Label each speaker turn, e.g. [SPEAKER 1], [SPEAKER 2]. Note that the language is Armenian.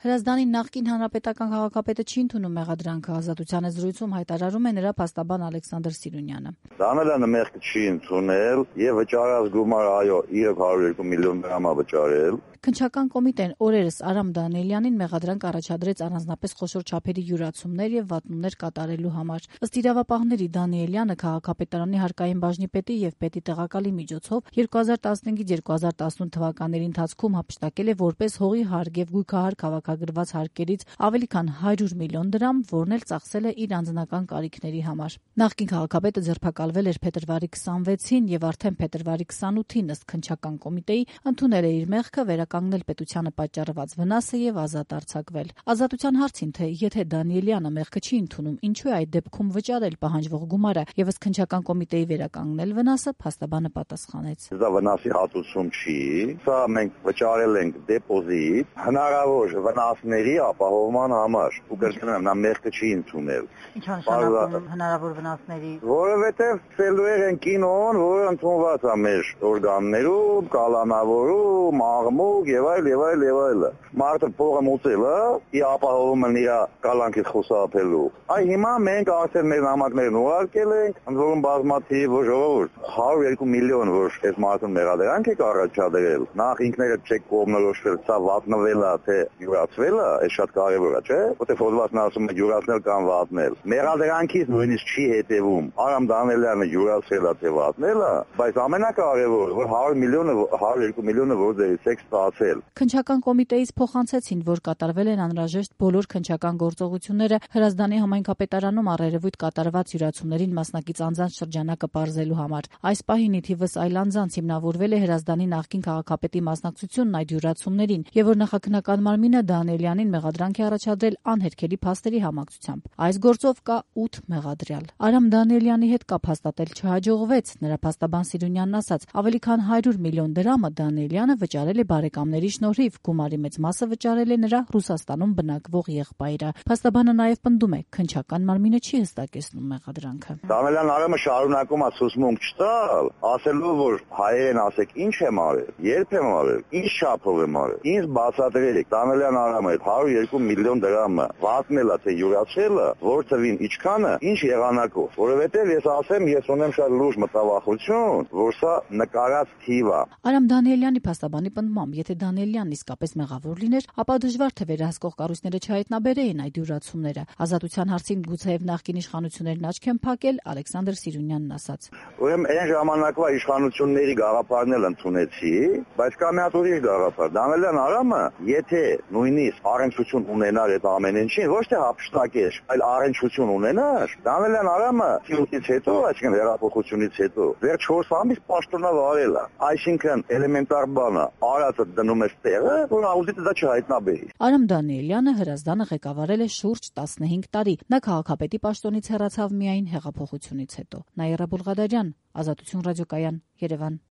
[SPEAKER 1] Հրազդանի նախկին հանրապետական քաղաքապետը չի ընդունում մեղադրանքը, Ազատության զրույցում հայտարարում է նրա փաստաբան Ալեքսանդր Սիրունյանը։
[SPEAKER 2] Դանելյանը մեղքը չի ընդունել եւ վճարած գումարը, այո, 102 միլիոն դրամ է վճարել։
[SPEAKER 1] Քննչական կոմիտեն օրերս Արամ Դանիելյանին մեղադրանք առաջադրեց առանձնապես խոշոր չափերի յուրացումներ եւ վատնումներ կատարելու համար։ Ըստ իրավապահների Դանիելյանը քաղաքապետարանի հարկային բաժնի պետի եւ պետի տեղակալի միջոցով 2015-2018 թվականների ընթացքում հափշտակել է որպես հողի հարկ եւ գույքահար քաղաքագրված հարկերից ավելի քան 100 միլիոն դրամ, որն էլ ծախսել է իր անձնական կարիքների համար։ Նախկին քաղաքապետը ձերբակալվել էր փետրվարի 26-ին եւ արդեն փետրվարի 28-ին ըստ քննչական կոմիտեի ընդունել է իր մեղքը, վերականգնել պետությանը պատճառված վնասը եւ ազատ արձակվել։ Ազատության հարցին, թե եթե Դանիելյանը մեղքը չի ընդունում, ինչու է այդ դեպքում վճարել պահանջվող գումարը եւ ըստ քննչական կոմիտեի վերականգնել վնասը, փաստաբանը պատասխանեց.
[SPEAKER 2] Դա վնասի հատուցում չի, սա մենք վճարել ենք դեպոզիտ հնարավոր վնասների ապահովման համար։ Ու կրկնեմ, նա մեղքը չի ընդունել։
[SPEAKER 3] Ինչ նշանակում հնարավոր վնասների։
[SPEAKER 2] Որովհետեւ ֆելուեր են կինոն, որը ընդունված է մեր օրգաններում, կալանավորում, աղմուկ եւ այլ։ Մարդը փողը մուծել է, ի ապահովում են իր կալանքից խուսափելու։ Այ հիմա մենք արդեն մեր նամակներն ուղարկել ենք, ընդ որում բազմաթիվ ժողովուրդ 102 միլիոն, որ այս մարդուն մեղադրանք եք առաջադրել, նախ ինքներդ չեք կողմնորոշվել, սա վատնվել է, թե յուրացվել է, այս շատ կարևոր է, չէ՞։ Որտեղ հոդվածն ասում է յուրացնել կամ վատնել։ Մեղադրանքից նույնիսկ չի հետևում Արամ Դանիելյանը յուրացել է, թե վատնել է, բայց ամենակարևորը, որ 102 միլիոնը որ դերից եք ստացել։
[SPEAKER 1] Քննչական կոմիտեից փոխանցեցին, որ կատարվել են անհրաժեշտ բոլոր քննչական գործողությունները Հրազդանի համայնքապետարանում առերևույթ կատարված յուրացումներին մասնակից անձանց շրջանակը պարզելու համար։ Այս պահին ի թիվս այլ անձանց հիմնավորվել է Հրազդանի նախկին քաղաքապետի մասնակցությունն այդ յուրացումներին, եւ որ նախաքննական մարմինը Դանիելյանին մեղադրանք է առաջադրել անհերքելի փաստերի համակցությամբ։ Այս գործով կա 8 մեղադրյալ։ Արամ Դանիելյանի հետ կապ հաստատել չհաջողվեց։ Նրա փաստաբան Սիրունյանն ասաց, ավելի քան 100 միլիոն դրամը Դանիելյանը վճարել է բարեկամների շնորհիվ, գումարի մեծ մասը վճարել է նրա Ռուսաստանում բնակվող եղբայրը։ Փաստաբանը նաև պնդում է, քննչական մարմինը չի հստակեցնում մեղադրանքը։
[SPEAKER 2] Դանիելյան Արամը շարունակում է ցուցմունք չտալ, ասելով, որ հայերեն ասեք ինչ եմ արել, երբ եմ արել, ինչ չափով եմ արել։ Ինձ բացատրել եք Դանիելյան Արամը 102 միլիոն դրամը վատնել է, թե յուրացել է, որ թվին ինչքանը, ինչ եղանակով։ Որովհետև ես ասեմ, ես ունեմ շատ լուրջ մտավախություն, որ սա նկարած թիվ է։
[SPEAKER 1] Արամ Դանիելյանի փաստաբանի պնդմամբ, եթե Դանիելյանն իսկապես մեղավոր լիներ, ապա դժվար թե վերահսկող կառույցները չհայտնաբերեին այդ յուրացումները։ Ազատության հարցին գուցեև նախկին իշխանություններն աչք են փակել, Ալեքսանդր Սիրունյանն ասաց։
[SPEAKER 2] Ուրեմն այն ժամանակվա իշխանությունների գաղափարն էլ ընդունեցի, բայց կա մի հատ ուրիշ գաղափար։ Դանիելյան Արամը, եթե նույնիսկ առնչություն ունենար այդ ամեն ինչին, ոչ թե հափշտակեր, այլ առնչություն ունենար, Դանիելյան Արամը ցույցից հետո, այսինքն հեղափոխությունից հետո, վերջ 4 ամիս պաշտոնավ արել է։ Այսինքն էլեմենտար բանը, արածը դնում ես տեղը, որ աուդիտը դա չհայտնաբերի։
[SPEAKER 1] Արամ Դանիելյանը Հրազդանը ղեկավարել է շուրջ 15 տարի։ Նա քաղաքապետի պաշտոնից հեռացավ միայն հեղափոխությունից հետո։ Նաիրա Բուլղադարյան, Ազատություն ռադիոկայան, Երևան։